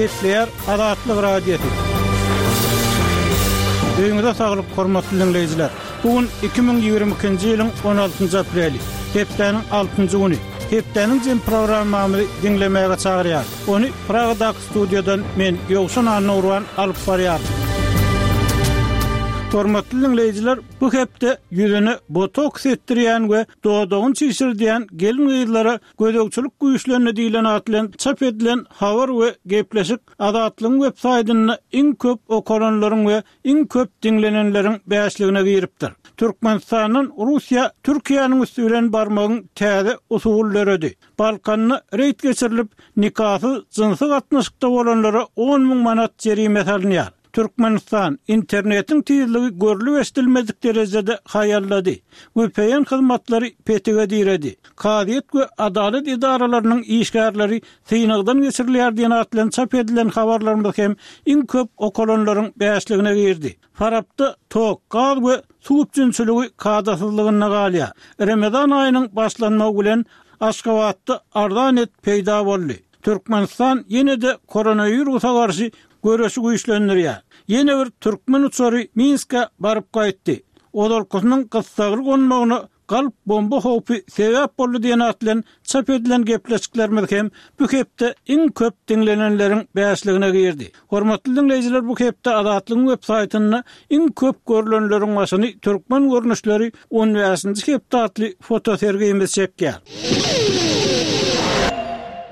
Gepleýär Azatlyk Radiosy. Öýüňize saglyk, hormatly diňleýjiler! Bu gün 2022-nji ýylyň 16-njy apreli, hepdäniň altynjy güni. Hepdäniň jem programmamyzy diňlemäge çagyrýarys. Ony Pragadaky studiýadan men, Ýowşan Annagurban alyp barýaryn. Hormatly diňleýjiler, bu hepde ýüzüne botoks etdirýän we dodagyny çişirdýän gelin-gyzlara gözegçilik güýçlendi diýlen at bilen çap edilen habar we gepleşik Azatlygyň web saýtynda iň köp okalanlaryň we iň köp diňlenenleriň bäşligine giripdir. Türkmenistandan Russiýa Türkiýäniň üsti bilen barmagyň täze usuly döredi. Balkanda reýd geçirilip, nikasyz jynsy gatnaşykda bolanlara 10 müň manat jerime salynýar. Türkmenistan, internetiň tizligi görlüp-eşidilmedik derejede haýallady. Vpn hyzmatlary petige diredi. Kazyýet we adalat edaralarynyň işgärleri synagdan geçirilýär diýen at bilen çap edilen habarlarymyz hem iň köp okalanlaryň bäşligine girdi. Farapda tok, gaz we suw üpjünçiligi kadasyzlygynda galýar. Remezan aýynyň başlanmagy bilen Aşgabatda arzan et peýda boldy. Türkmenistan ýene-de koronawirusa garşy göreşi güýçlendirýär. Ýene bir türkmen uçary Minskä baryp gaýtdy. Ozalkysynyň gyssagly gonmagyna galp bomba howpy sebäp boldy diýen at bilen çap edilen gepleşiklerimiz hem bu hepde iň köp diňlenenleriň bäşligine girdi. Hormatly diňleýjiler bu hepde Azatlygyň web saýtynda iň köp görlenleriň başyny Türkmen görnüşleri on bäşinji hepde atly fotosergimiz çekýär.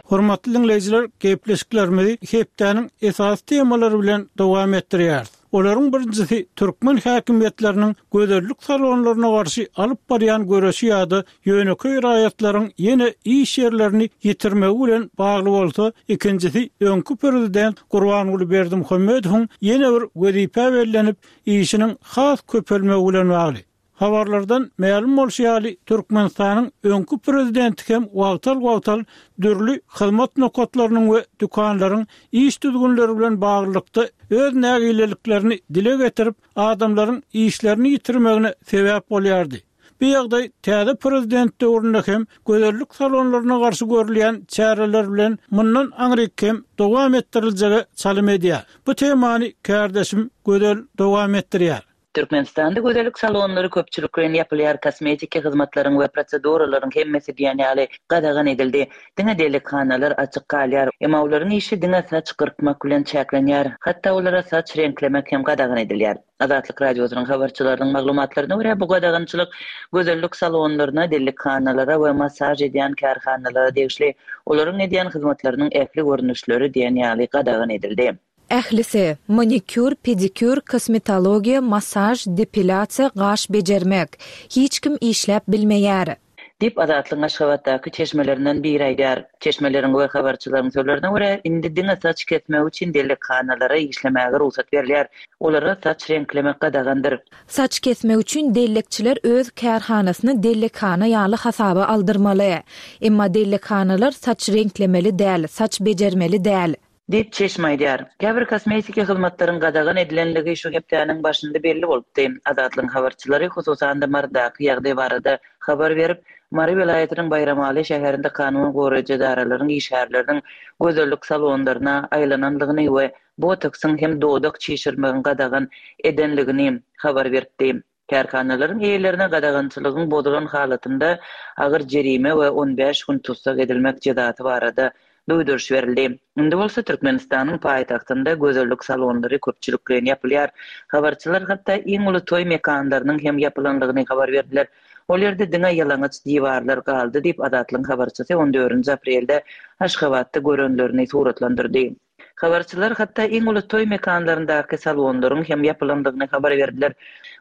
Hormatly diňleýjiler gepleşiklerimizi hepdäniň esasy temalary bilen dowam etdirýäris. Olaryň birinjisi türkmen häkimiýetleriniň gözellik salonlaryna garşy alyp barýan göreşi ýa-da ýönekeý raýatlaryň ýene iş ýerlerini ýitirmegi bilen bagly bolsa, ikinjisi öňki prezident Gurbanguly Berdimuhamedowyň ýene bir wezipä bellenip, işiniň has köpelmegi bilen bagly. Habarlardan mälim bolşy ýaly, Türkmenistanyň öňki prezidenti hem wagtal-wagtal dürli hyzmat nokatlarynyň we dükanlaryň iş düzgünleri bilen baglylykda öz nägileliklerini dile getirip, adamlaryň işlerini ýitirmegine sebäp bolýardy. Bu ýagdaý täze prezident döwründe hem gözellik salonlaryna garşy görülýän çäreler bilen mundan aňryk hem dowam etdiriljege çalym edýär. Bu temany kärdeşim Gözel dowam etdirýär. Türkmenistanda gözellik salonlary köpçülikleýin ýapylýar, kosmetiki hyzmatlaryň we proseduralaryň hemmesi diýen ýaly gadagan edildi. Diňe dellekhanalar açyk galýar. Emma olaryň işi diňe saç gyrkmak bilen çäklenýär. Hatda olara saç reňklemek hem gadagan edilýär. Azatlyk Radiosynyň habarçylarynyň maglumatlaryna görä, bu gadagançylyk gözellik salonlaryna, dellekhanalara we massaž edýän kärhanalara degişli. Olaryň edýän hyzmatlarynyň ähli görnüşleri diýen ýaly gadagan edildi. Ählisi, manikýur, pedikýur, kosmetologiýa, massaž, depilýasiýa, gaş bejermek. Hiç kim işläp bilmeýär. Diýip, Azatlygyň Aşgabatdaky çeşmelerinden biri aýdýar. Çeşmeleriň we habarçylaryň sözlerine görä, indi diňe saç kesmek üçin dellekhanalara işlemäge rugsat berilýär. Olara saç reňklemek gadagandyr. Saç kesmek üçin dellekçiler öz kärhanasyny dellekhana ýaly hasaba aldyrmaly. Emma dellekhanalar saç reňklemeli däl, saç bejermeli däl. Diýip, çeşme aýdýar. Käbir kosmetiki hyzmatlaryň gadagan edilenligi şu hepdäniň başynda belli bolupdy. Azatlygyň habarçylary, hususan-da, Marydaky ýagdaý barada habar berip, Mary welaýatynyň Baýramaly şäherinde kanun goraýjy edaralaryň işgärleriniň gözellik salonlaryna aýlananlygyny we botoksyň hem dodak çişirmegiň gadagan edenligini habar beripdi. Kärhanalaryň eýelerine gadagançylygyň bozulan halatynda agyr jerime we 15 gün tussag edilmek jezasy barada duýduryş berildi. Indi bolsa Türkmenistanyň paýtagtynda gözellik salonlary köpçülikleýin ýapylýar. Habarçylar hatda iň uly toý mekanlarynyň hem ýapylandygyny habar berdiler. Ol ýerde diňe ýalaňaç diwarlar galdy diýip, Azatlygyň habarçysy on dördünji aprelde Aşgabatda görenlerini suratlandyrdy. Habarçylar hatda iň uly toý mekanlaryndaky salonlaryň hem ýapylandygyny habar berdiler.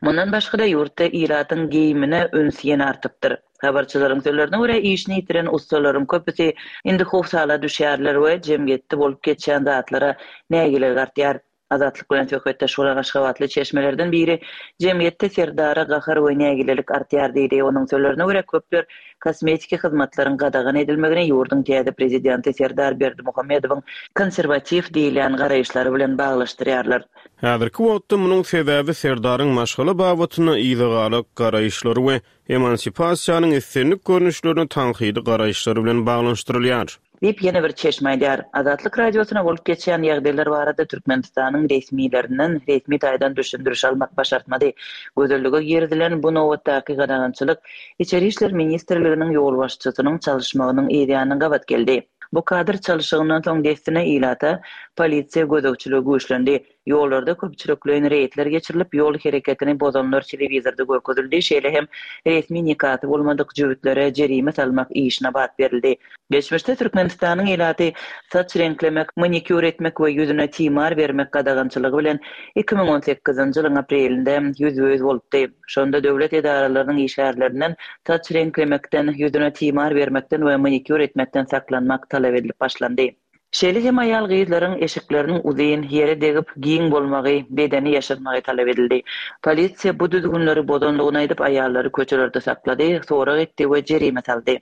Mundan başga-da, ýurtda ilatyň geýimine üns ýene artypdyr. Habarçylaryň sözlerine görä, işini ýitiren ussalaryň köpüsi indi howsala düşýärler we jemgyýetde bolup geçýän zatlara nägilelik artýar. Azatlyk bilen söhbetdeş bolan aşgabatly çeşmelerden biri jemgyýetde Serdara gahar we nägilelik artýar diýdi. Onuň sözlerine görä, köpler Kosmetiki hyzmatlaryň gadagan edilmegini ýurduň täze prezidenti Serdar Berdimuhamedowyň konserwatiw diýilýän garaýyşlary bilen baglaşdyrýarlar. Häzirki wagtda munuň sebäbi Serdaryň maşgala babatynda yzagalak garaýyşlary we emansipasiýanyň islendik görnüşlerine tankydy garaýyşlary bilen baglanyşdyrylýar. Diýip, ýene bir çeşme aýdýar. Azatlyk Radiosyna bolup geçýän ýagdaýlar barada Türkmenistanyň resmilerinden resmi taýdan düşündiriş almak başartmady. Gözellige girizilen bu nobatdaky gadagançylyk Içeri işler ministrliginiň ýolbaşçysynyň çalyşmagynyň yzýany gabat geldi. Bu kadr çalyşygyndan soň dessine ilata polisiýa gözegçiligi güýçlendi. Ýollarda köpçülikleýin reýdler geçirilip, ýol hereketini bozanlar telewizorda görkezildi, şeýle hem resmi nikasy bolmadyk jübütlere jerime salmak işine bat berildi. Geçmişde Türkmenistanyň ilaty saç reňklemek, manikýur etmek we ýüzüne timar bermek gadagançylygy bilen 2018-nji ýylyň aprelinde ýüzbe-ýüz bolupdy. Şonda döwlet edaralarynyň işgärlerinden saç reňklemekden, ýüzüne timar bermekden we manikýur etmekden saklanmak talap edilip başlandy. Şeýle hem aýal-gyzlaryň eşikleriniň uzyn, ýere degip, giň bolmagy, bedeni ýaşyrmagy talap edildi. Polisiýa bu düzgünleri bozandygyny aýdyp, aýallary köçelerde saklady, sorag etdi we jerime saldy.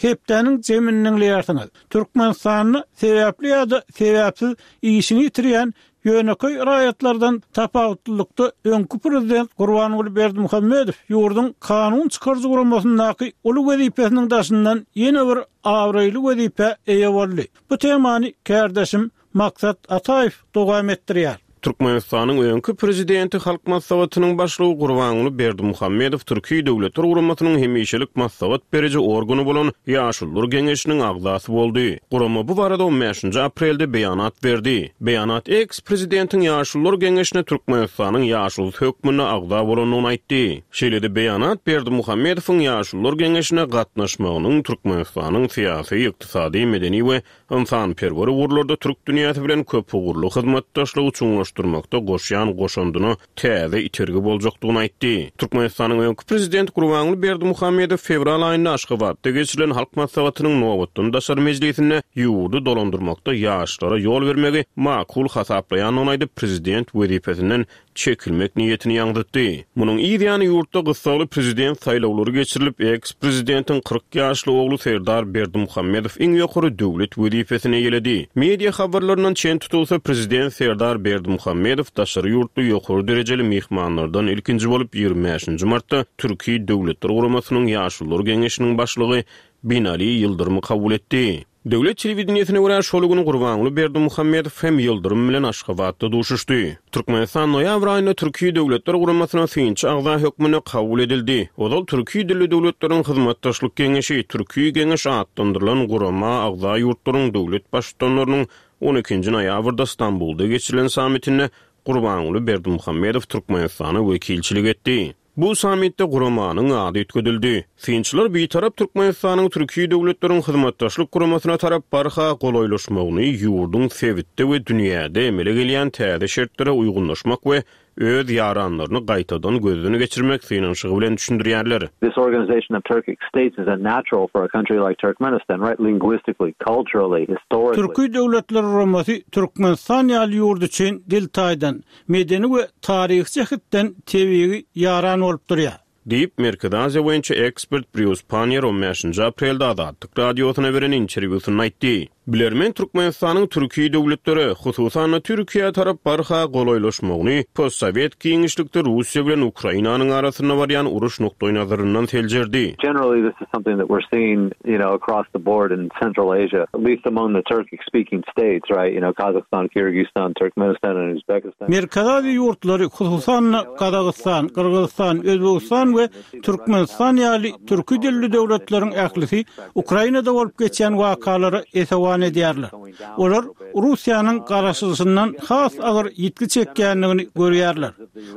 Hepdäniň jemini diňleýärsiňiz. Türkmenistanda sebäpli ýa-da sebäpsiz işini ýitirýän Ýönekeý raýatlardan tapawutlylykda öňki prezident Gurbanguly Berdimuhamedow ýurduň kanun çykaryjy guramasyndaky uly wezipesiniň daşyndan ýene bir abraýly wezipä eýe boldy. Bu temany kärdeşim Maksat Ataýew dowam etdirýär. Türkmenistanyň öňki prezidenti, Halk Maslahatynyň Başlygy Gurbanguly Berdimuhamedow Türki Döwletler Guramasynyň hemişelik maslahat beriji organy bolan Ýaşulular geňeşiniň agzasy boldy. Gurama bu barada on bäşinji aprelde beýanat berdi. Beýanat eks-prezidentiň Ýaşulular geňeşine Türkmenistanyň ýaşulusy hökmünde agza bolandygyny aýtdy. Şeýle-de beýanat Berdimuhamedowyň Ýaşulular geňeşine gatnaşmagynyň Türkmenistanyň syýasy, ykdysady, medeni we ynsanperwer ugurlarda türk dünýäsi bilen köpugurly hyzmatdaşlygy çuňlaşdyrmakda goşýan goşandyna täze itergi boljakdygyny aýtdy. Türkmenistanyň öňki Prezidenti Gurbanguly Berdimuhamedow fewral aýynda Aşgabatda geçirilen Halk Maslahatynyň nobatdan daşary mejlisinde ýurdy dolandyrmakda ýaşlara ýol bermegi makul hasaplaýandygyny aýdyp, prezident wezipesinden çekilmek niýetini ýaňzytdy. Munuň yz ýany ýurtda gyssagly prezident saýlawlary geçirilip, eks-prezidentiň 40 ýaşly ogly Serdar Berdimuhamedow iň ýokary döwlet wezipesini eýeledi. Media habarlaryndan çen tutulsa, prezident Serdar Berdimuhamedow daşary ýurtly ýokary derejeli myhmanlardan ilkinji bolup 25-nji martda Türki Döwletler Guramasynyň Ýaşulular Geňeşiniň başlygy Binali Ýyldyrymy kabul etdi. Döwlet telewideniýesine görä, şol gün Gurbanguly Berdimuhamedow hem Ýyldyrym bilen Aşgabatda duşuşdy. Türkmenistan noýabr aýynda Türki Döwletler Guramasyna synçy agza hökmünde kabul edildi. Ozal Türki dilli döwletleriň hyzmatdaşlyk geňeşi, Türki Geňeş atlandyrylan gurama agza ýurtlaryň döwlet Baştutanlarynyň on ikinji noýabrda Stambulda geçirilen sammitinde Gurbanguly Berdimuhamedow Türkmenistana wekilçilik etdi. Bu sammitde guramanyň ady üýtgedildi. Synçylar Bitarap Türkmenistanyň Türki döwletleriň hyzmatdaşlyk guramasyna tarap barha golaýlaşmagyny ýurduň sebitde we dünýäde emele gelýän täze şertlere uýgunlaşmak we öz ýaranlaryny gaýtadan gözden geçirmek synanyşygy bilen düşündirýärler. This organization of Turkic states is a natural for a country like Turkmenistan, right, linguistically, culturally, historically. Türki Döwletler Guramasy Türkmenistan ýaly ýurt üçin dil taýdan, medeni we taryhy jähetden tebigy ýaran bolup durýar. Diýip, Merkezi Aziýa boýunça ekspert Brýus Panniýer on bäşinji aprelde Azatlyk Radiosyna beren interwýusynda aýtdy. Bilermen Türkmenistanyň türki döwletlere, hususan-da Türkiýä tarap barha golaýlaşmagyny postsowet giňişlikde Russiýa bilen Ukrainanyň arasynda barýan uruş nukdaýnazaryndan seljerdi. Generally this is something that we're seeing, you know, across the board in Central Asia, at least among the Turkic speaking states, right, you know, Kazakhstan, Kyrgyzstan, Turkmenistan and Uzbekistan. Merkezi Aziýa ýurtlary, hususan-da, Gazagystan, Gyrgyzystan, Özbegistan we Türkmenistan ýaly türki dilli döwletleriň ählisi Ukrainada bolup geçýän wakalara esewan edýärler. Olar Russiýanyň garaşylyşyndan has agyr ýitgi çekýändigini görýärler.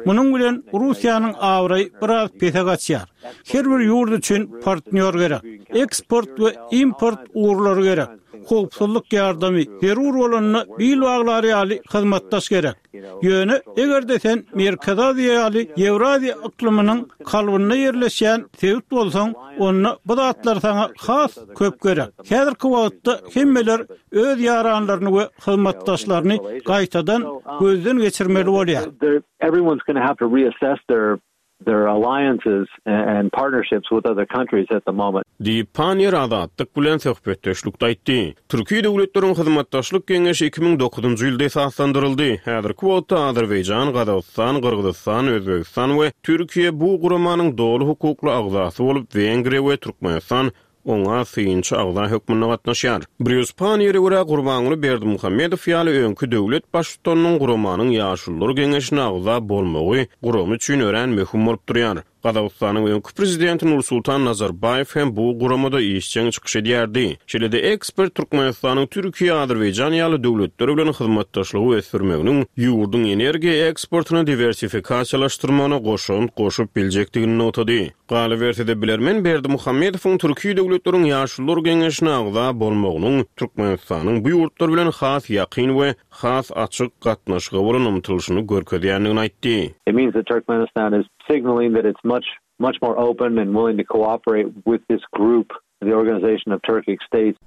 Munuň bilen Russiýanyň abraýy biraz pese gaçýar. Her bir ýurt üçin partnýor gerek. Eksport we import ugurlary gerek. Howpsuzlyk ýardamy, zerur bolanda bil baglar ýaly hyzmatdaş gerek. Ýöne, eger-de sen Merkezi Aziýa ýaly Ýewraziýa yklymynyň kalbynda ýerleşýän sebit bolsaň, onda bu zatlar saňa has köp gerek. Häzirki wagtda hemmeler öz ýaranlaryny we hyzmatdaşlaryny gaýtadan gözden geçirmeli bolýar. Their alliances and partnerships with other countries at the moment. Diýip, Panniýer Azatlyk bilen söhbetdeşlikde aýtdy. Türki döwletleriň hyzmatdaşlyk geňeşi 2009-njy ýylda esaslandyryldy. Häzirki wagtda Azerbaýjan, Gazagystan, Gyrgyzystan, Özbegistan we Türkiýe bu guramanyň doly hukukly agzasy bolup, Wengriýa we Türkmenistan. oňa synçy agza hökmünde gatnaşýar. Brýus Panniýere görä, Gurbanguly Berdimuhamedow ýaly öňki döwlet baştutanynyň guramanyň Ýaşulular geňeşine agza bolmagy gurama üçin örän möhüm bolup durýar. Gazagystanyň öňki prezidenti Nursultan Nazarbaýew hem bu guramada işjeň çykyş edýärdi. Şeýle-de ekspert Türkmenistanyň Türkiýe, Azerbaýjan ýaly döwletler bilen hyzmatdaşlygy ösdürmeginiň ýurduň energiýa eksportyny diwersifikasiýalaşdyrmagyna goşant goşup biljekdigini nygtady. Galyberse-de, bilermen Berdimuhamedowyň Türki döwletleriň Ýaşulular geňeşine agza bolmagynyň Türkmenistanyň bu ýurtlar bilen has ýakyn we has açyk gatnaşyga bolan ymtylyşyny görkezýändigini aýtdy. It means that Turkmenistan is signaling that it's much much more open and willing to cooperate with this group, the Organization of Turkic States.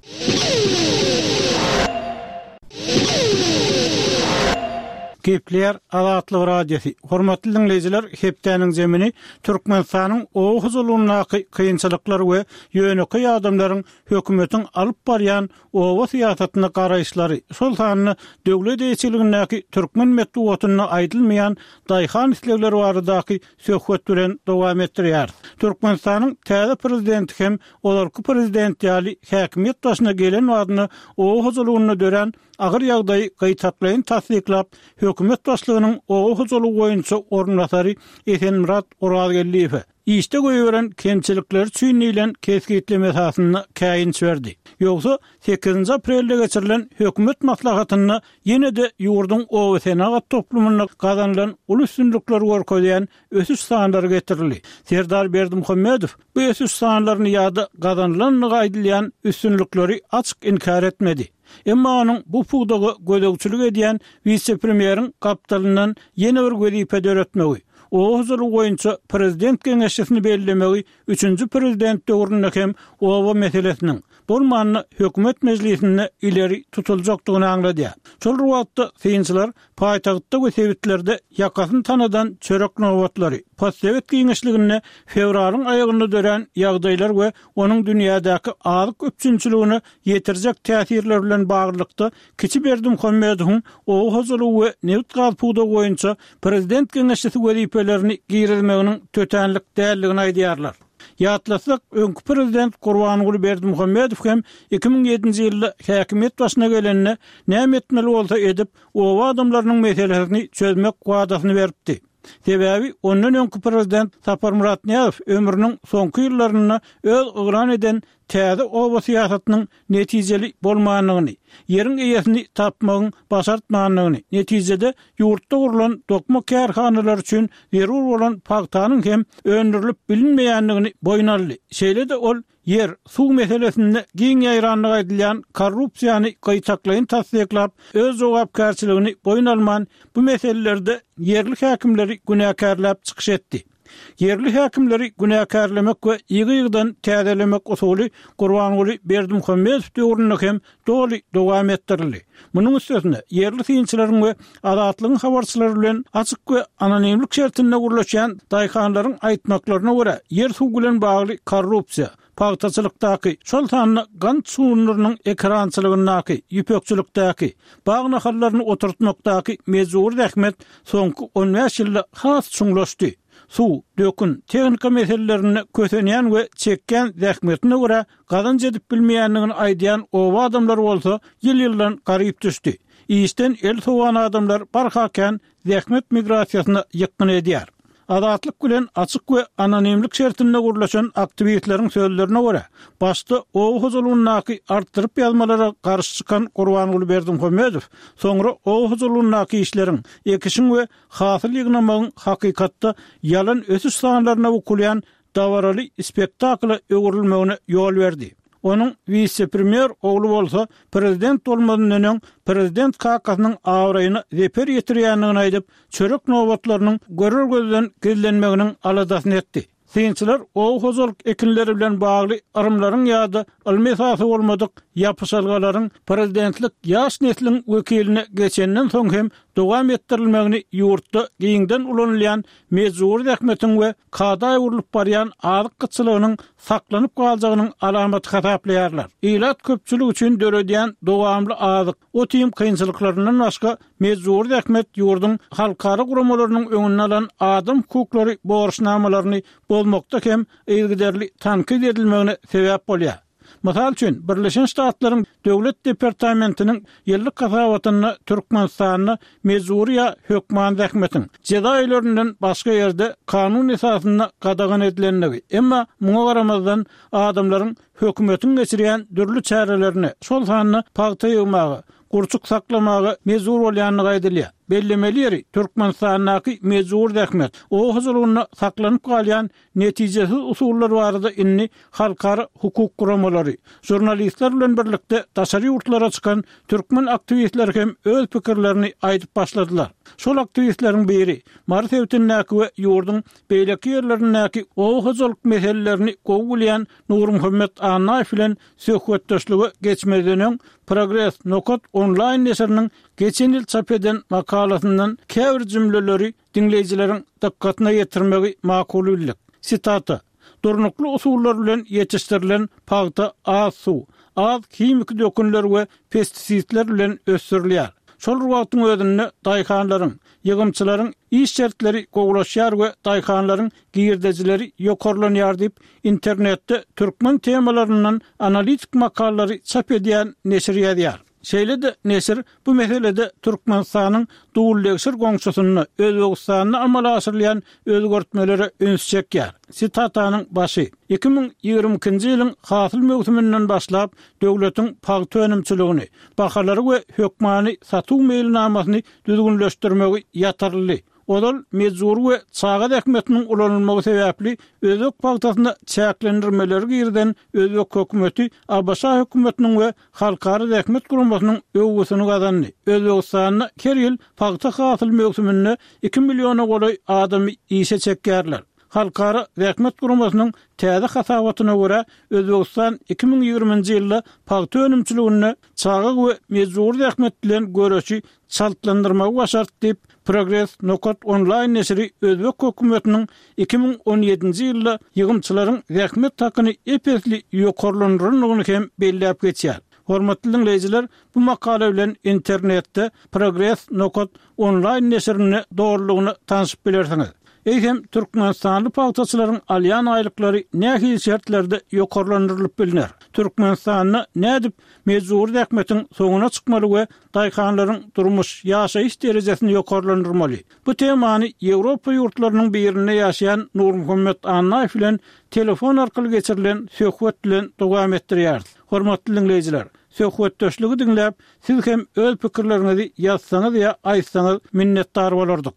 Gepleýär Azatlyk Radiosy. Hormatly diňleýjiler, hepdäniň zemini Türkmenistanyň oba hojalygyndaky kynçylyklar we ýönekeý adamlaryň hökümetiň alyp barýan oba syýasatyna garaýyşlary, şol sanda döwlet eýeçiligindäki türkmen metbugatynda aýdylmaýan daýhan islegleri baradaky söhbet bilen dowam etdirýäris. Türkmenistanyň täze prezidenti hem ozalky prezident ýaly häkimiýet başyna gelen badyna oba hojalygynda dörän agyr ýagdaýy gytaklaýyn tassyklap, hökümet başlygynyň oba hojalygy boýunça orunbasary Esenmyrat Orazgeldiýewe, Işde goýberen kemçilikleri üçin diýlen kesgitleme esasynda käýinç berdi. Ýogsa, sekizinji aprelde geçirilen hökümet maslahatynda ýene-de ýurduň obasenagat toplumynda gazanylan uly üstünlikleri görkezýän ösüş sanlary getirildi. Serdar Berdimuhamedow bu ösüş sanlaryny ýa-da gazanylandygy aýdylýan üstünlikleri açyk inkär etmedi. Emma onuň bu pudaga gözegçilik edýän wise-premýeriň gapdalyndan ýene bir wezipe döretmegi, oba hojalygy boýunça prezident geňeşçisini bellemegi üçünji prezident döwründe hem oba meselesiniň, bolmanda hökümet mejlisinde ileri tutuljakdygyny aňladýar. Şol bir wagtda, synçylar Paýtagtda we sebitlerde ýakasyny tanadan çörek nobatlary, postsowet giňişliginde fewralyň aýagynda dörän ýagdaýlar we onuň dünýädäki azyk üpjünçiligine ýetirjek täsirleri bilen baglylykda kiçi Berdimuhamedowyň oba hojalygy we nebit-gaz pudagy boýunça prezident geňeşçisi wezipelerini girizmeginiň tötänlik däldigini aýdýarlar. Ýatlasak, öňki prezident Gurbanguly Berdimuhamedow hem 2007-nji ýylda häkimiýet başyna gelende, näme etmeli bolsa edip, oba adamlarynyň meselesini çözmek wadasyny beripdi. Sebäbi ondan öňki prezident Saparmyrat Nyýazow ömrüniň soňky ýyllarynda öz yglan eden täze oba syýasatynyň netijeli bolmandygyny, ýeriň eýesini tapmagyň başartmandygyny, netijede ýurtda gurlan dokma kärhanalary üçin zerur bolan pagtanyň hem öndürilip bilinmeýändigini boýun aldy. Şeýle-de ol Ýer, suw meselesinde giň ýaýrandygy aýdylýan korrupsiýany gytaklaýyn tassyklap, öz jogapkärçiligini boýun alman, bu meselelerde ýerli häkimleri günäkärläp çykyş etdi. Ýerli häkimleri günäkärlemek we ýygy-ýygydan täzelemek usuly Gurbanguly Berdimuhamedow döwründe hem doly dowam etdirildi. Munuň üstesine, ýerli synçylaryň we Azatlygyň habarçylary bilen açyk we anonimlik şertinde gürleşýän daýhanlaryň aýtmaklaryna görä, ýer-suw bilen bagly korrupsiýa, pagtaçylykdaky, şol sanda gant şugundyrynyň ekerançylygyndaky, ýüpekçilikdäki, bag nahallaryny oturtmakdaky mejbury zähmet soňky on bäş ýylda has çuňlaşdy. Suw, dökün, tehnika meselelerinde kösenýän we çekýän zähmetine görä Gazanç edip bilmeýändigini aýdýan oba adamlary bolsa ýyl-ýyldan garyp düşdi. Işden el sowan adamlar barha kän zähmet migrasiýasyna ýykgyn edýär. Azatlyk bilen açyk we anonimlik şertinde gürleşen aktiwistleriň sözlerine görä, başda oba hojalygyndaky artdyryp ýazmalara garşy çykan Gurbanguly Berdimuhamedow soňra oba hojalygyndaky işleriň, ekişiň we hasyl ýygnamagyň hakykatda ýalan ösüş sanlaryna bukulýan dabaraly spektakla öwrülmegine ýol berdi. Onuň wise-premýer ogly bolsa prezident bolmazyndan öň prezident kakasynyň abraýyna zeper ýetirýändigini aýdyp, çörek nobatlarynyň görer gözden gizlenmeginiň aladasyny etdi. Synçylar oba hojalyk ekinleri bilen bagly yrymlaryň ýa-da ylmy esasy bolmadyk ýapyşalgalaryň prezidentlik ýaş nesliň wekiline geçenden soň hem dowam etdirilmegini ýurtda giňden ulanylýan mejbury zähmetiň we kada öwrülip barýan azyk gytçylygynyň saklanyp galjagynyň alamaty hasaplaýarlar. Ilat köpçülik üçin döredýän dowamly azyk, ot-iým kynçylyklaryndan başga mejbury zähmet ýurduň halkara guramalarynyň öňünde alan adam hukuklary borçnamalaryny bozmakda hem yzygiderli tankyt edilmegine sebäp bolýar. Mysal üçin, Birleşen Ştatlaryň Döwlet departamentiniň ýyllyk hasabatynda Türkmenistanda mejbury ýa hökman zähmetiň, jeza öýlerinden başga ýerde kanun esasynda gadagan edilendigi, emma muňa garamazdan adamlaryň hökümetiň geçirýän dürli çärelerine, şol sanda pagta ýygmaga, gurçuk saklamaga mejbur bolýandygy aýdylýar. Bellemeli ýeri, Türkmenistandaky mejbury zähmet, oba hojalygynda saklanyp galýan netijesiz usullar barada indi halkara hukuk guramalary, žurnalistler bilen birlikde daşary ýurtlara çykan türkmen aktiwistleri hem öz pikirlerini aýdyp başladylar. Şol aktiwistleriň biri, Mary sebitindäki we ýurduň beýleki ýerlerindäki oba hojalyk meselelerini gowy bilýän Nurmuhammet Annaýew bilen söhbetdeşlige geçmezden öň, Progres nokat onlaýn neşiriniň geçen ýyl çap eden makalasyndan käbir jümleleri diňleýjileriň dykgatyna ýetirmegi makul bildik. Sitata, Durnukly usullar bilen ýetişdirilen pagta az suw, az himiki dökünler we pestisidler bilen ösdürilýär. Şol bir wagtyň özünde daýhanlaryň, ýygymçylaryň iş şertleri gowulaşýar we daýhanlaryň girdejileri ýokarlanýar diýip, internetde türkmen temalaryndan analitik makalalary çap edýän neşir ýazýar. Şeýle-de neşir bu meselede Türkmenistanyň duldegsir goňşusynda, Özbegistanda amala aşyrylýan özgertmelere üns çekýär. Sitatanyň başy, 2022-nji ýylyň hasyl möwsüminden başlap, döwletiň pagta önümçiligini, bahalary we hökmany satuw meýilnamasyny düzgünleşdirmegi ýatyryldy. Ozal mejbury we çaga zähmetiniň ulanylmagy sebäpli özbek pagtasyna çäklendirmeleri girizen özbek hökümeti ABŞ hökümetiniň we Halkara zähmet guramasynyň öwgüsini gazandy. Özbegistanda her ýyl pagta hasyl möwsüminde iki milliona golaý adamy işe çekýärler. Halkara zähmet guramasynyň täze hasabatyna görä, Özbegistan 2020-nji ýylda pagta önümçiliginde çaga we mejbury zähmet bilen göreşi çaltlandyrmagy başardy diýip, Progres nokat onlaýn neşiri özbek hökümetiniň 2017-nji ýylda ýygymçylaryň zähmet hakyny ep-esli ýokarlandyrandygyny hem belläp geçýär. Hormatly diňleýjiler, bu makala bilen internetde Progres nokat onlaýn neşirinde dolulygyna tanşyp bilersiňiz. Eýsem, türkmenistanly pagtaçylaryň alýan aýlyklary nähili şertlerde ýokarlandyrylyp bilner? Türkmenistanda nädip mejbury zähmetiň soňuna çykmaly we daýhanlaryň durmuş, ýaşaýyş derejesini ýokarlandyrmaly. Bu temany Ýewropa ýurtlarynyň birinde ýaşaýan Nurmuhammet Annaýew bilen telefon arkaly geçirilen söhbet bilen dowam etdirýäris. Hormatly diňleýjiler, söhbetdeşligi diňläp, siz hem öz pikirleriňizi ýazsaňyz ýa aýtsaňyz minnetdar bolardyk.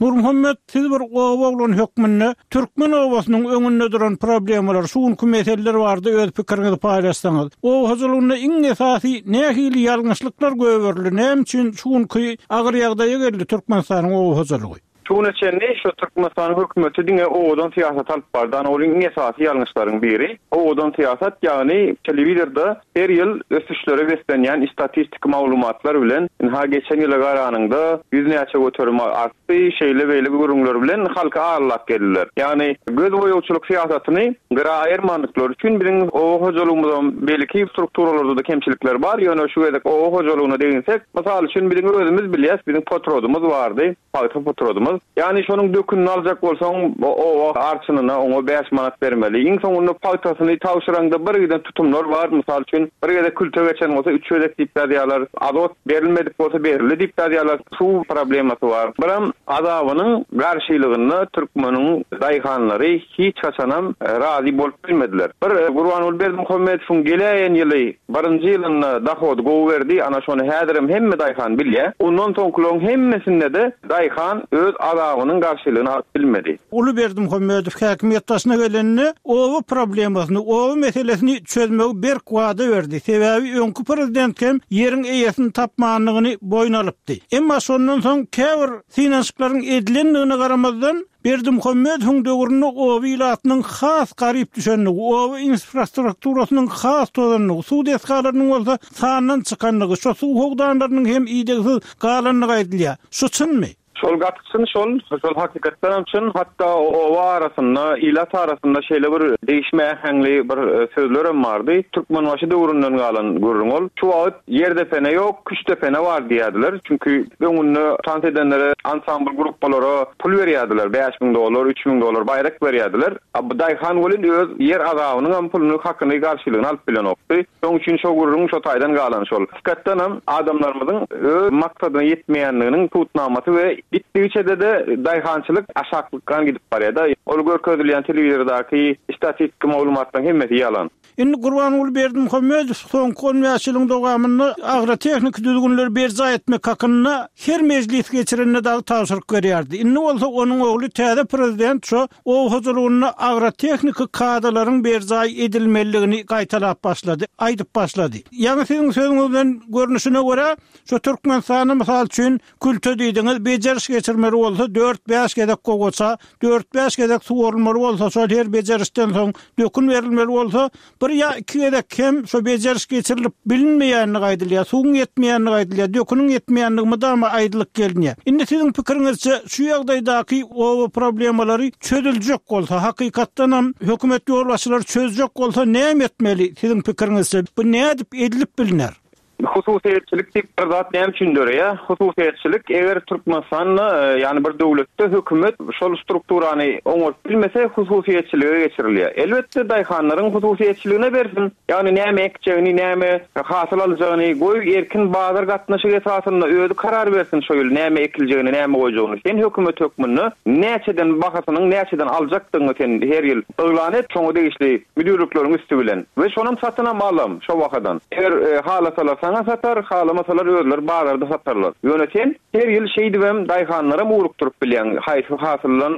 Nurmuhammet, siz bir oba oglany hökmünde türkmen obasynyň öňünde duran problemalar, şu günki meseleler barada öz pikiriňizi paýlaşsaňyz. Oba hojalygynda iň esasy nähili ýalňyşlyklar goýberildi, näme üçin şu günki agyr ýagdaýa geldi Türkmenistanyň oba hojalygy? Şu güne çenli şu Türkmenistanyň hökümeti diňe owadan syýasat alyp bardy. Ana ol iň esasy ýalňyşlaryň biri. Owadan syýasat, ýagny telewizorda her ýyl ösüşlere beslenýän istatistiki maglumatlar bilen, ynha geçen ýyla garanyňda ýüz näçe göterim artdy, şeýle-beýle gürrüňler bilen halky aldap geldiler. Ýagny gözboýagçylyk syýasatyny gyra aýyrmandyklary üçin biziň oba hojalygymyzam beýleki strukturalarda-da kemçilikler bar, ýöne şu gezek oba hojalygyna deginsek, mysal üçin biziň özümiz bilýäs, biziň potrodymyz bardy. Pagta potradymyz. Ýagny şonuň dökünini aljak bolsaň, oba arçynyna oňa bäş manat bermeli. Iň soňunda pagtasyny tabşyraňda bir giden tutumlar bar. Mysal üçin, bir gezek külte geçen bolsa, üç gezek diýip ýazýarlar. Azot berilmedik bolsa, berildi diýip ýazýarlar. Suw problemasy bar. Biram azabynyň garşylygynda türkmeniň daýhanlary hiç haçanam razy bolup bilmediler. Bir Gurbanguly Berdimuhamedowyň geläýen ýyly birinji ýylynda dohody gowy berdi, ana şony häzirem hemme daýhan bilýär. Ondan soňkularyň hemmesinde-de daýhan öz azabynyň garşylygyny alyp bilmedi. Uly Berdimuhamedow häkimiýet başyna gelende oba problemasyny, oba meselesini çözmegi berk wada berdi. Sebäbi öňki prezident hem ýeriň eýesini tapmandygyny boýun alypdy. Emma şondan soň käbir synanyşyklaryň edilendigine garamazdan, Berdimuhamedowyň döwründe oba ilatynyň has garyp düşendigi, oba infrastrukturasynyň has tozandygy, suw desgalarynyň bolsa sandan çykandygy, şo suw howdanlarynyň hem idegsiz galandygy aýdylýar. Şu çynmy? Şol gaty çyn şol, şol hakykatdanam çyn, hatda oba arasynda, ilat arasynda şeýle bir degişme äheňli bir sözlerem bardy. Türkmenbaşy döwründen galan gürrüň ol. Şu wagt ýerdepene ýok, küştdepene bar diýýärdiler. Çünki öňünde tans edenlere, ansambl gruppalara pul berýärdiler, 5000 dollar, 3000 dollar baýrak berýärdiler. A bu daýhan welin öz ýer azabynyňam puluny, hakyny, garşylygyny alyp bilenokdy. Şoň üçin şo gürrüň şo taýdan galan şol. Hakykatdanam adamlarymyzyň öz maksadyna ýetmeýänliginiň subutnamasy we gitdigiçe-de-de daýhançylyk aşaklykgan gidip barýar-da. Ol görkezilýän telewizordaky statistiki maglumatlaryň hemmesi ýalan. Indi Gurbanguly Berdimuhamedow soňky 15 ýylyň dowamynda agrotehniki düzgünleri berjaý etmek hakynda her mejlis geçirende dagy tabşyryk berýärdi. Indi bolsa onuň ogly täze prezident şo Oba hojalygynda agrotehniki kadalaryň berjaý edilmelidigini gaýtalap başlady, aýdyp başlady. Ýaňy siziň sözüňizden görnüşine görä, şu Türkmenistanda, mysal üçin, külte diýdiňiz, bejeriş geçirmeli bolsa dört-bäş gezek gowaça, dört-bäş gezek suwarylmaly bolsa, şol her bejerişden soň dökün berilmeli bolsa, Bir ýa iki gezek hem şo bejeriş geçirilip bilinmeýändigi aýdylýar, suwuň ýetmeýändigi aýdylýar, döküniň ýetmeýändigi mydama aýdylyp gelinýär. Indi siziň pikiriňizçe, şu ýagdaýdaky oba problemalary çözüljek bolsa, hakykatdanam hökümet ýolbaşçylary çözjek bolsa näme etmeli siziň pikiriňizçe, bu nädip edilip bilner? Hususyýetçilik diýip bir zat näme üçin döreýär? Hususyýetçilik eger Türkmenistanda, ýagny bir döwletde hökümet şol strukturany oňaryp bilmese hususyýetçilige geçirilýär. Elbetde daýhanlaryň hususyýetçiligine bersin. Ýagny näme ekjegini, näme hasyl aljagyny goý erkin bazar gatnaşygy esasynda özi karar bersin şo ýyl näme ekiljegini, näme goýjagyny. Sen hökümet hökmünde näçeden bahasynyň näçeden aljakdygyňy sen her ýyl yglan et şoňa degişli müdirlikleriň üsti bilen we şonam satynam alam şo bahadan. Eger halasalar saňa satar, halamasalar özleri bazarda satarlar. Ýöne sen her ýyl şeýdibem daýhanlaram ugrukdyryp bilýäň haýsy hasyldan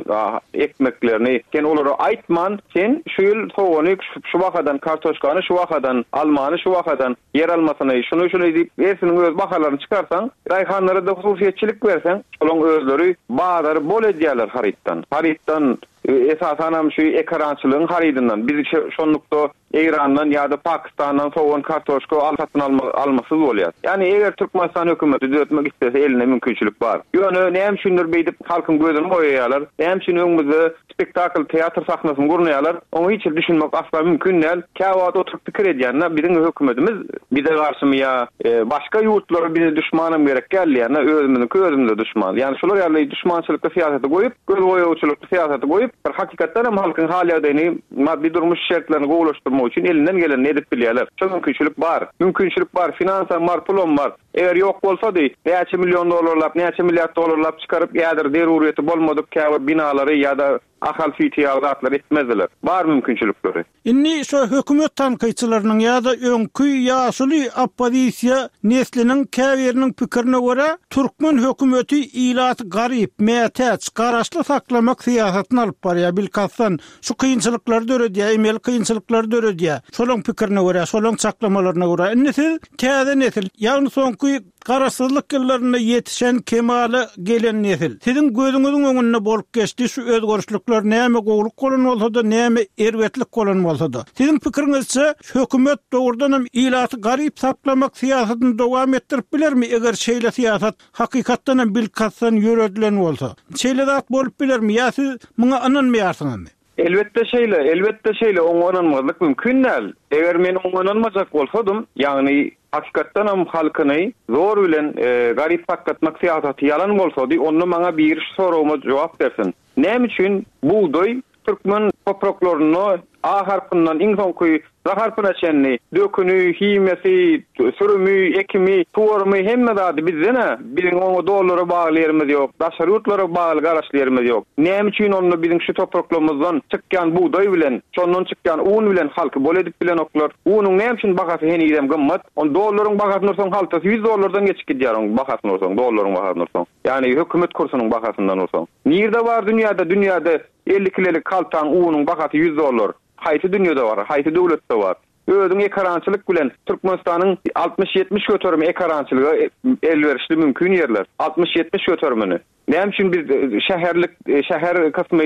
ekmeklerini. Sen olara aýtman, sen şu ýyl sogany şu bahadan, kartoşkany şu bahadan, almany şu bahadan, ýer almasyny şuny şuny diýip hersiniň öz bahalaryny çykarsaň, daýhanlara-da hususyýetçilik berseň, şolaň özleri bazary bol edýärler harytdan. Harytdan Esasanam şu ekarançylygyň harydyndan. Biz şonlukda Eýrandan ýa-da Pakistandan sogan, kartoşka al satyn almasyz bolýas. Ýagny eger Türkmenistan hökümeti düzetmek islese elinde mümkinçilik bar. Ýöne näme üçindir beýdip halkyň gözüni boýaýarlar. Näme üçin öňümizde spektakl, teatr sahnasyny gurnaýarlar. Oňa hiç hili düşünmek asla mümkin däl. Käwagt oturyp pikir edýän-de biziň hökümetimiz bize garşymy ýa başga ýurtlara bize duşmanam gerek däl diýýän-de özümiziňki özümize duşman. Ýagny şular ýaly duşmançylykly syýasaty goýup, Gözboýagçylykly syýasaty goýup, bir hakykatdan hem halkyň hal-ýagdaýyny, maddy-durmuş şertlerini gowulaşdyrmak üçin elinden gelenini edip bilýärler. Şo mümkinçilik bar. Mümkinçilik bar, finansam bar, pulam bar. Eger ýok bolsady, näçe million dollarlap, näçe milliard dollarlap çykaryp, häzir zeruryýeti bolmadyk käbir binalary ýa-da Ahal Siti ýaly zatlary etmezdiler. Bar mümkinçilikleri. Indi şo hökümet tankytçylarynyň ýa-da öňki ýaşuly oppozisiýa nesliniň käbiriniň pikirine görä, türkmen hökümeti ilaty garyp, mätäç, garaşly saklamak syýasatyny alyp barýar, bilkastdan şu kynçylyklary döredýär, emeli kynçylyklary döredýär. Şolaň pikirine görä, şolaň çaklamalaryna görä. Indi siz täze nesil, ýagny soňky Garaşsyzlyk ýyllarynda ýetişen, kemala gelen nesil. Siziň gözüňiziň öňünde bolup geçdi şu özgerişlikler näme gowulyk bolan bolsa-da, näme erbetlik bolan bolsa-da. Siziň pikiriňizçe, hökümet dogrudanam ilaty garyp saklamak syýasatyny dowam etdirip bilermi, eger şeýle syýasat hakykatdanam bilkastdan ýöredilen bolsa? Şeýle zat bolup bilermi ýa siz muňa ynanmaýarsyňyzmy? Elbetde şeýle, elbetde şeýle, oňa ynanmazlyk mümkin däl. Eger men oňa ynanmajak bolsadym, ýagny hakykatdanam halkyny zor bilen garyp saklatmak syýasaty ýalan bolsady, onda maňa biri şu soragyma jogap bersin. Näme üçin bugdaý türkmen topraklarynda A harpyndan iň soňky Z harpyna çenli döküni, himiýasy, sürümi, ekimi, suwarymy hemme zady bizden-ä. Biziň oňa dollara bagly ýerimiz ýok, daşary ýurtlara bagly garaşly ýerimiz ýok. Näme üçin onda biziň şu topraklarymyzdan çykýan bugdaý bilen, şondan çykýan un bilen halky bol edip bilenoklar? Unuň näme üçin bahasy henizem gymmat? Ony dollaryň bahasyny ursaň haltasy ýüz dollardan geçip gidýär oň bahasyny ursaň, dollaryň bahasyny ursaň. Ýagny hökümet kursunyň bahasyndan ursaň. Nirde bar dünýäde dünýäde 50 kilelik haltaň unuň bahasy ýüz dollar? Haýsy dünýede bar, haýsy döwletde bar? Özüň ekarançylyk bilen Türkmenistanyň 60-70 göterimi ekarançylyga elwerişli mümkin ýerler. 60-70 göterimini. Näme üçin biz şäherlik, şäher kysmy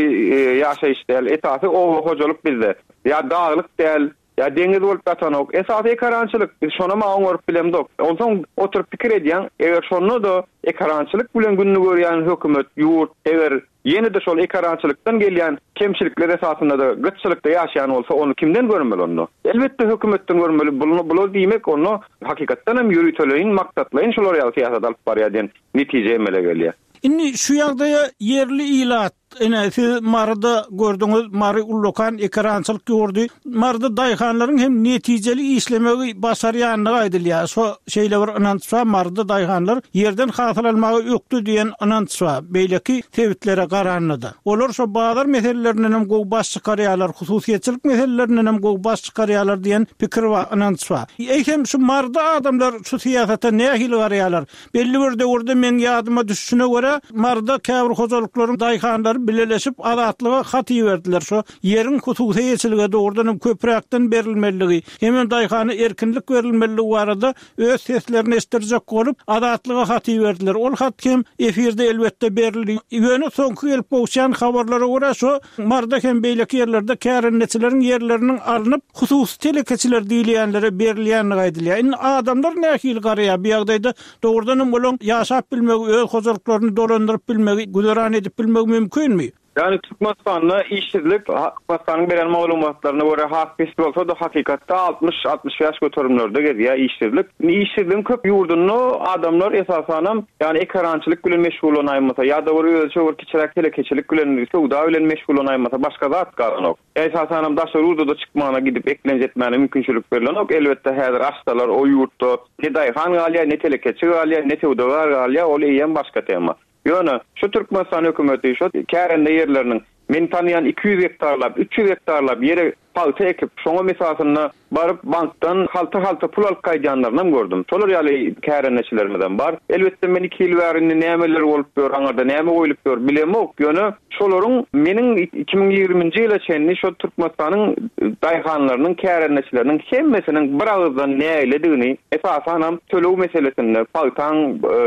ýaşaýyş däl, esasy oba hojalyk bizde. Ýa daglyk däl. Ýa deňiz bolup ýatanok. Esasy ekarançylyk. Biz şonam-a oňaryp bilemzok. Onsoň oturyp pikir edýäň, eger şonda-da ekarançylyk bilen gününi görýän hökümet, ýurt, eger ýene-de şol ekarançylykdan gelýän kemçilikler esasynda-da gytçylykda ýaşaýan bolsa, ony kimden görmeli onda? Elbetde hökümetden görmeli. Bular diýmek onda hakykatdan hem ýöriteleýin, maksatlaýyn şular ýaly syýasat alyp barýar diýen netije emele gelýär. Indi şu ýagdaýa ýerli ilat, ine, siz Maryda gördüňiz, Mary ullakan ekerançylyk ýurdy. Maryda daýhanlaryň hem netijeli işlemegi başarýandygy aýdylýar. Şo şeýle bir ynanç bar, Maryda daýhanlar ýerden hasyl almaga ökde diýen ynanç bar, beýleki sebitlere garanda-da. Olar şo bazar meselelerinden hem gowy baş çykarýarlar, hususyýetçilik meselelerinden hem gowy baş çykarýarlar diýen pikir bar, ynanç bar. Eýsem, şu Maryda adamlar şu syýasata nähili garaýarlar? Belli bir döwürde meň ýadyma düşüşine görä, Maryda käbir hojalyklaryň daýhanlary bileleşip Azatlyga hat iberdiler, şo ýeriň hususy eýeçilige dogrudan hem köpräkden berilmelidigi, hemem daýhana erkinlik berilmelidigi barada öz seslerini eşitdirjek bolup, Azatlyga hat iberdiler. Ol hat hem efirde elbetde berildi. Ýöne soňky gelip gowuşýan habarlara görä, şo Maryda hem beýleki ýerlerde kärendeçileriň ýerleriniň alnyp, hususy telekeçiler diýilýänlere berilýändigi aýdylýar. Indi adamlar nähili garaýar bu ýagdaýda? Dogrudan hem olaň ýaşap bilmegi, öz hojalyklaryny dolandyryp bilmegi, güzeran edip bilmegi mümkinmi? Ýagny Türkmenistanda işsizlik Türkmenistanyň beren maglumatlaryna görä has pes bolsa-da hakykatda 60, 65 göterimlerde gezýär işsizlik. Indi işsizligiň köp ýurdunda adamlar esasanam ýagny ekerançylyk bilen meşgullanaýmasa ýa-da bir özüçe bir kiçiräk telekeçilik bilen, söwda bilen meşgullanaýmasa başga zat galanok. Esasanam daşary ýurda-da çykmagyna gidip eklenç etmäne mümkinçilik berlenok. Elbetde häzir açsalar o ýurtda ne daýhan galýar, ne telekeçi galýar, ne söwdagär galýar, ol eýýäm başga tema. Ýöne şu Türkmenistan hökümeti şu kärende ýerleriniň men tanaýan 200 gektarlap, 300 gektarlap ýere pagta ekip, şoňam esasynda baryp bankdan halta-halta pul alyp gaýdýanlarynam gördüm. Şolar ýaly kärendeçilerimizem bar. Elbetde men iki ýyl bäri indi nämeler bolup ýör, aňyrda näme goýlup ýör bilemok. Ýöne şolaryň meniň 2020-nji ýyla çenli şol Türkmenistanyň daýhanlarynyň, kärendeçileriniň hemmesiniň bir agyzdan nägiledigini, esasanam töleg meselesinde, pagtaň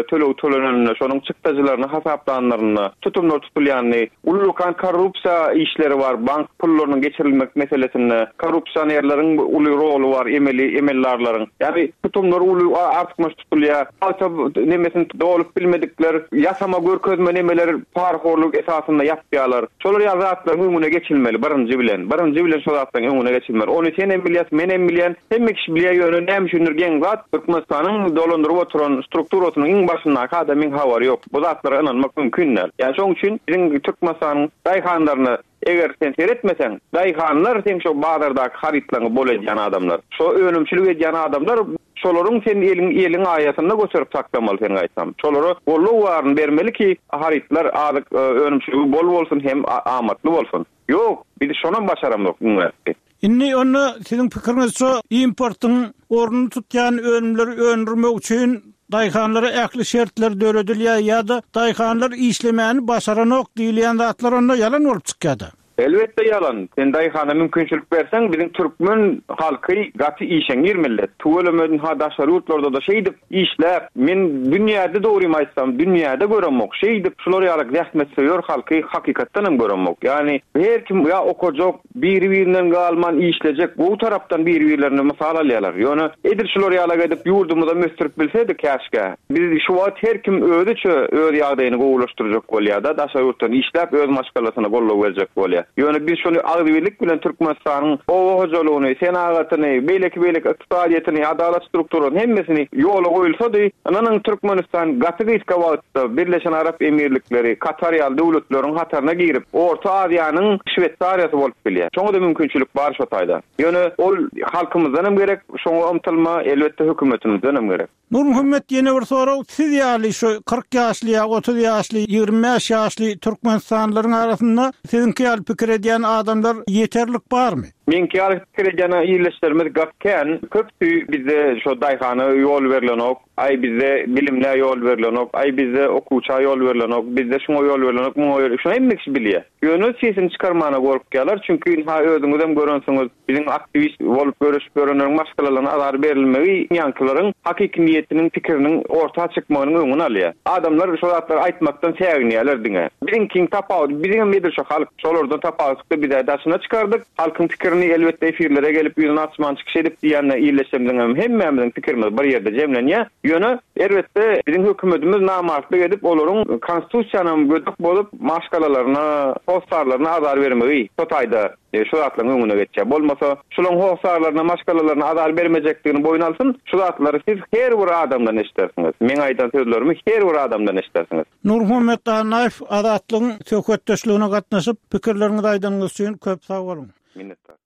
tölegi töleneninde, şonuň çykdajylaryny hasaplanlarynda tutumlar tutulýanyny, Ullakan korrupsiýa işleri bar, bank pullarynyň geçirilmek meselesinde korrupsionerleriň uly roly bar, emeli emeldarlaryň. Ýagny tutumlar uly artykmaç tutulýar. Pagta nemesini dolup bilmedikler ýasama görkezme nemeler parahorluk esasynda ýapýarlar. Şolar ýaly zatlaryň öňüne geçilmeli birinji bilen. Birinji bilen şo zatlaryň öňüne geçilmeli. Ony sen hem bilýäs, men hem bilýän, hemme kişi bilýär ýöne näme üçindir geň zat Türkmenistanyň dolandyryp oturan strukturasynyň iň başyndaky adamyň habary ýok. Bu zatlara ynanmak mümkin däl. Ýani şoň üçin biziň Türkmenistanyň daýhanlaryna eger sen seretmeseň, daýhanlar seň şo bazardaky harytlaryňy bol edýän adamlar. Şo önümçilik edýän adamlar şolaryň sen eliň eliň aýasynda göterip saklamaly sen gaýtam. Şolara goldaw baryny bermeli ki harytlar azyk önümçiligi bol bolsun hem amatly bolsun. Ýok, biz şonam başaramzok iň bärsi. Indi onda siziň pikiriňizçe importyň ornuny tutýan önümleri öndürmek üçin daýhanlara ähli şertler döredilýär ýa-da daýhanlar işlemäni başaranok diýilýän zatlar onda ýalan bolup çykýada? Elbetde ýalan. Sen daýhana mümkinçilik berseň biziň türkmen halky gaty işeňňir millet. Tüweleme ynha daşary ýurtlarda-da şeýdip Işläp, men dünýäde dogrymy aýtsam, dünýäde göremok. Şeýdip şular ýaly zähmetsöýer halky hakykatdan hem göremok. Ýagny her kim ýa okajak, biri-birinden galman işlejek, gowy tarapdan biri-birlerine mysal alýarlar. Ýöne edil şular ýalak edip ýurdumyzam ösdürip bilsedik käşgä. Biz şu wagt her kim özüçe öz ýagdaýyny gowulaşdyrjak bolýar-da, daşary ýurtdan işläp öz maşgalasyna goldaw berjek bolýar. Ýöne biz şony agzybirlik bilen Türkmenistanyň oba hojalygyny, senagatyny, beýleki-beýleki ykdysadyýetini, adalat strukturasyny hemmesini ýola goýulsady, ynanyň Türkmenistan gaty gysga wagtda Birleşen Arap Emirlikleri, Katar ýaly döwletleriň hataryna girip, Orta Aziýanyň Şweýsariýasy bolup bilýär. Şoňa-da mümkinçilik bar şo taýda. Ýöne ol halkymyzdan hem gerek, şoňa ymtylma, elbetde hökümetimizden hem gerek. Nurmuhammet ýene bir sorag, siz ýaly şu 40 ýaşly ýa 30 ýaşly, 25 ýaşly türkmenistanlylaryň arasynda siziňki ýaly pikir edýän adamlar ýeterlik barmy? Meňki ýaly pikir edýän ildeşlerimiz gaty kän. Köpüsi bizde şo daýhana ýol berlenok, aý bizde bilimlä ýol berlenok, aý bizde okuwça ýol berlenok, bizde şuňa ýol berlenok, muňa ýol, şuny hemme kişi bilýär. Ýöne sesini çykarmana gorkýarlar, çünki ynha özüňizem görensiňiz, Biziň aktiwist bolup göreşip ýörenleriň maşgalalaryna azar berilmegi ýaňkylaryň hakyky niýetiniň, pikiriniň orta çykmagynyň öňüni alýar. Adamlar şo zatlary aýtmakdan säginýärler diňe. Biziňkiň tapawudy, biziňem edil şo halk, şolardan tapawutlykda biz-ä daşyna çykardyk halkyň pikirini. pikirini elbetde efirlere gelip ýüzüni açman çykyş edip diýýän ildeşlerimiziň hem hemmämiziň pikirimiz bir ýerde jemlenýär. Ýöne erbetde biziň hökümetimiz namartlyk edip olaryň konstitusiýanam gödek bozup maşgalalaryna, hossarlaryna azar bermegi şo taýda şu zatlaryň öňüne geçýär. Bolmasa şularyň hossarlaryna, maşgalalaryna azar bermejekdigini boýun alsyn, şu zatlary siz her bir adamdan eşidersiňiz. Meň aýdan sözlerimi her bir adamdan eşidersiňiz. Nurmuhammet Annaýew Azatlygyň söhbetdeşligine gatnaşyp, pikirleriňizi aýdanyňyz üçin köp sag boluň. Minnetdar.